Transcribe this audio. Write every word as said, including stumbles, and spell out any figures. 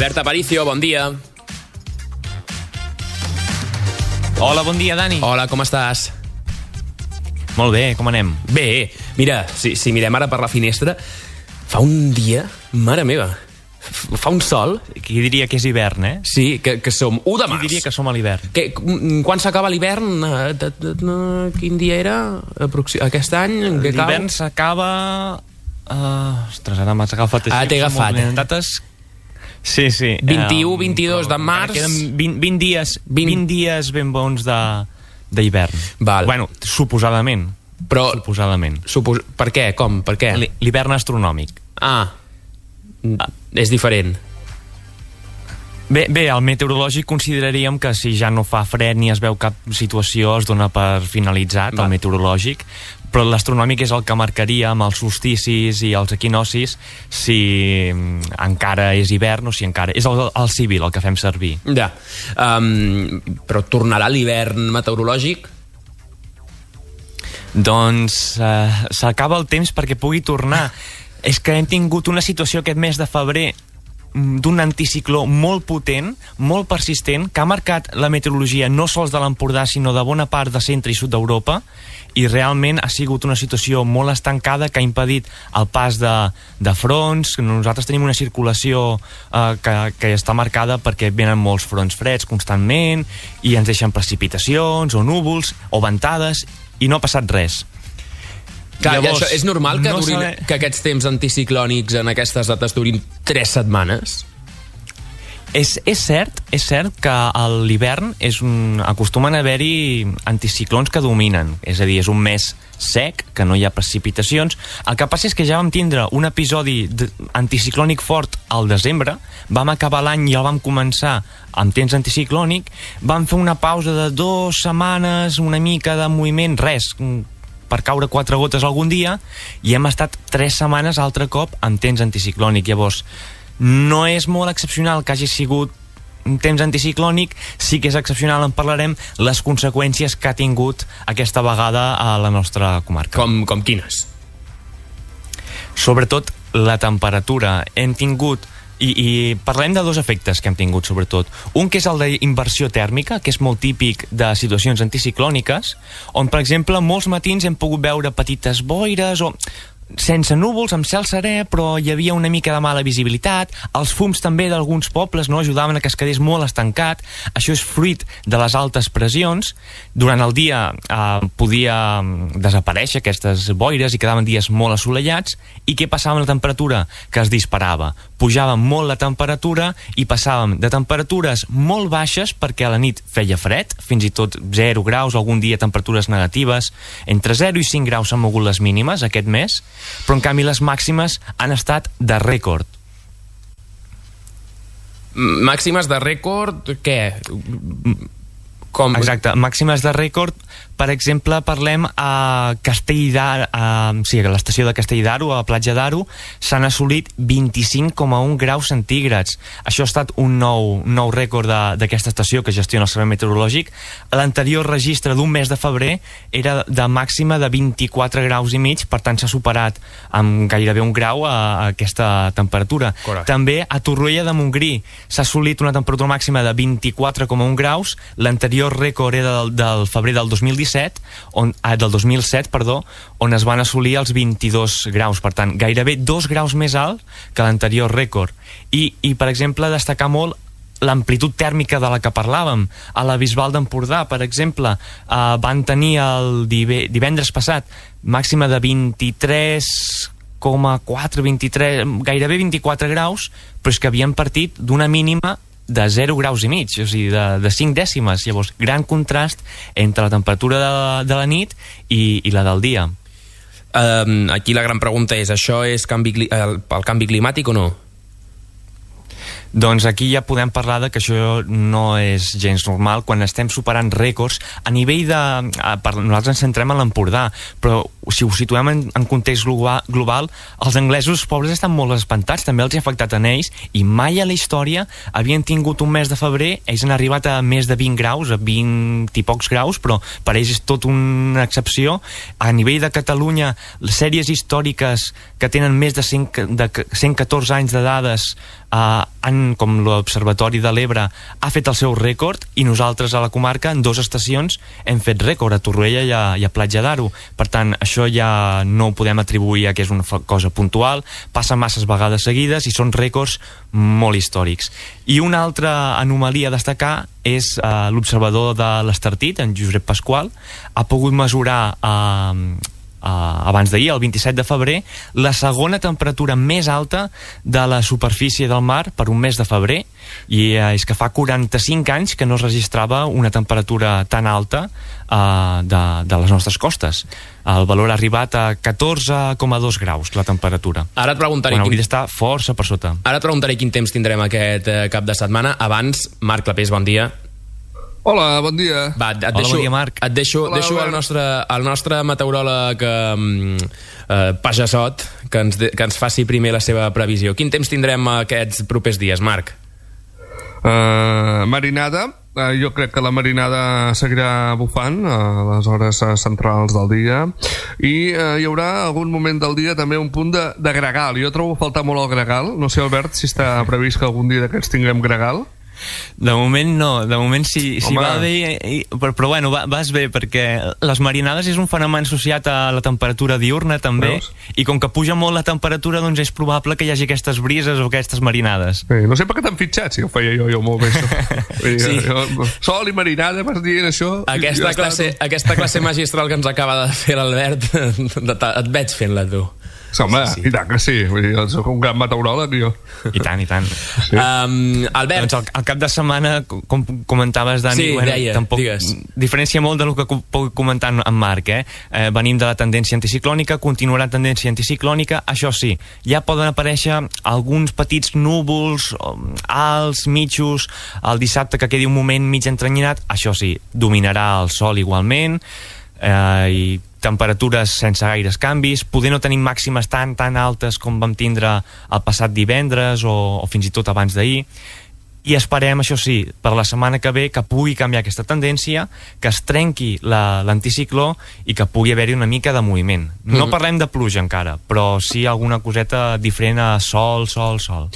Albert Aparicio, bon dia. Hola, bon dia, Dani. Hola, com estàs? Molt bé, com anem? Bé, mira, si, si mirem ara per la finestra, fa un dia, mare meva, fa un sol. Qui diria que és hivern, eh? Sí, que, que som u de març. Qui diria que som a l'hivern? Que, quan s'acaba l'hivern? Quin dia era? Aquest any? L'hivern s'acaba... Uh, ostres, ara m'has agafat... Ah, t'he agafat. Dates... Sí, sí. vint-i-u, vint-i-dos de març. Queden vint, vint dies, vint dies ben bons d'hivern. Bueno, suposadament. Però, suposadament. Supos... Per què? Com? Per què? L'hivern astronòmic. Ah, ah, és diferent. Bé, bé, al meteorològic consideraríem que si ja no fa fred ni es veu cap situació es dona per finalitzat. Va. El meteorològic, però l'astronòmic és el que marcaria amb els solsticis i els equinocis si encara és hivern o si encara... És el, el civil el que fem servir. Ja, um, però tornarà l'hivern meteorològic? Doncs uh, s'acaba el temps perquè pugui tornar. És que hem tingut una situació aquest mes de febrer d'un anticicló molt potent, molt persistent, que ha marcat la meteorologia no sols de l'Empordà, sinó de bona part de centre i sud d'Europa, i realment ha sigut una situació molt estancada que ha impedit el pas de, de fronts. Nosaltres tenim una circulació eh, que, que està marcada perquè venen molts fronts freds constantment i ens deixen precipitacions o núvols o ventades i no ha passat res. Clar, Llavors, això és normal que, no durin, saber... que aquests temps anticiclònics en aquestes dates durin tres setmanes? És, és cert, és cert que a l'hivern és un, acostumen a haver-hi anticiclons que dominen, és a dir, és un mes sec, que no hi ha precipitacions. El que passa és que ja vam tindre un episodi anticiclònic fort al desembre, vam acabar l'any i el vam començar amb temps anticiclònic, vam fer una pausa de dues setmanes, una mica de moviment, res, per caure quatre gotes algun dia, i hem estat tres setmanes altre cop amb temps anticiclònic. Llavors, no és molt excepcional que hagi sigut un temps anticiclònic, sí que és excepcional, en parlarem, les conseqüències que ha tingut aquesta vegada a la nostra comarca. Com, com quines? Sobretot la temperatura. Hem tingut I, i parlem de dos efectes que hem tingut, sobretot. Un que és el d'inversió tèrmica, que és molt típic de situacions anticiclòniques, on, per exemple, molts matins hem pogut veure petites boires o sense núvols, amb cel serè, però hi havia una mica de mala visibilitat. Els fums també d'alguns pobles no ajudaven a que es quedés molt estancat. Això és fruit de les altes pressions. Durant el dia eh, podia desaparèixer aquestes boires i quedaven dies molt assolellats. I què passava amb la temperatura? Que es disparava. Pujava molt la temperatura i passàvem de temperatures molt baixes, perquè a la nit feia fred, fins i tot zero graus, algun dia temperatures negatives. Entre zero i cinc graus s'han mogut les mínimes aquest mes, però en canvi les màximes han estat de rècord. Màximes de rècord, què? Com? Exacte, màximes de rècord, per exemple, parlem a Castell d'Aro, a, sí, a l'estació de Castell d'Aro, a la platja d'Aro, s'han assolit vint-i-cinc coma un graus centígrads. Això ha estat un nou, nou rècord d'aquesta estació que gestiona el Servei Meteorològic. L'anterior registre d'un mes de febrer era de màxima de vint-i-quatre graus i mig, per tant s'ha superat amb gairebé un grau a, a aquesta temperatura. Correcte. També a Torroella de Montgrí s'ha assolit una temperatura màxima de vint-i-quatre coma un graus. L'anterior rècord era del, del febrer del dos mil disset, on, ah, del dos mil set, perdó, on es van assolir els vint-i-dos graus, per tant, gairebé dos graus més alt que l'anterior rècord. I, i, per exemple, destacar molt l'amplitud tèrmica de la que parlàvem. A la Bisbal d'Empordà, per exemple, eh, van tenir el divendres passat màxima de vint-i-tres coma quatre, vint-i-tres, gairebé vint-i-quatre graus, però és que havien partit d'una mínima de zero graus i mig, o sigui, de, de cinc dècimes. Llavors, gran contrast entre la temperatura de, de la nit i, i la del dia. Um, aquí la gran pregunta és, això és canvi, el, el canvi climàtic o no? Doncs aquí ja podem parlar de que això no és gens normal quan estem superant rècords a nivell de... Per, nosaltres ens centrem en l'Empordà, però si ho situem en, en context global, global, els anglesos pobres estan molt espantats, també els ha afectat en ells, i mai a la història havien tingut un mes de febrer, ells han arribat a més de vint graus, a vint i pocs graus, però per ells és tot una excepció. A nivell de Catalunya, les sèries històriques que tenen més de cent, de cent catorze anys de dades eh, han gent com l'Observatori de l'Ebre ha fet el seu rècord, i nosaltres a la comarca en dues estacions hem fet rècord, a Torroella i a, i a Platja d'Aro. Per tant, això ja no ho podem atribuir a que és una cosa puntual, passa masses vegades seguides i són rècords molt històrics. I una altra anomalia a destacar és uh, l'observador de l'Estartit, en Josep Pasqual, ha pogut mesurar uh, Uh, abans d'ahir, el vint-i-set de febrer, la segona temperatura més alta de la superfície del mar per un mes de febrer, i uh, és que fa quaranta-cinc anys que no es registrava una temperatura tan alta uh, de, de les nostres costes. El valor ha arribat a catorze coma dos graus, la temperatura. Ara et preguntaré quan quin... hauria d'estar força per sota. Ara et preguntaré quin temps tindrem aquest uh, cap de setmana. Abans, Marc Clapés, bon dia. Hola, bon dia. Va, et Hola, deixo, bon dia, Marc. Et deixo, Hola, deixo el, nostre, el nostre meteoròleg um, uh, Pajassot que ens, de, que ens faci primer la seva previsió. Quin temps tindrem aquests propers dies, Marc? Uh, marinada. Uh, jo crec que la marinada seguirà bufant a les hores uh, centrals del dia, i uh, hi haurà algun moment del dia també un punt de, de gregal. Jo trobo a faltar molt el gregal. No sé, Albert, si està previst que algun dia d'aquests tinguem gregal. De moment no, de moment si, si va bé, i, però, però bueno, va, vas bé, perquè les marinades és un fenomen associat a la temperatura diurna també. Veus? I com que puja molt la temperatura, doncs és probable que hi hagi aquestes brises o aquestes marinades. Sí, no sé per què t'han fitxat, si ho feia jo, jo molt bé això. Sí. Jo, sol i marinada, vas dient això. Aquesta, classe, aquesta classe magistral que ens acaba de fer l'Albert, et veig fent-la, tu. Sí, home, sí, sí. I tant que sí. Vull dir, soc un gran meteoròleg, jo. I tant, i tant. Sí. Um, Albert... Doncs el, el cap de setmana, com comentaves, Dani, sí, bueno, deia, tampoc digues. Diferència molt del que puc comentar en Marc, eh? eh? Venim de la tendència anticiclònica, continuarà tendència anticiclònica, això sí, ja poden aparèixer alguns petits núvols, alts, mitjos, el dissabte que quedi un moment mig entrenyinat, això sí, dominarà el sol igualment, eh, i temperatures sense gaires canvis, poder no tenim màximes tan tan altes com vam tindre el passat divendres o, o fins i tot abans d'ahir, i esperem, això sí, per la setmana que ve que pugui canviar aquesta tendència, que es trenqui l'anticicló i que pugui haver-hi una mica de moviment. No mm-hmm. parlem de pluja encara, però sí alguna coseta diferent a sol, sol, sol.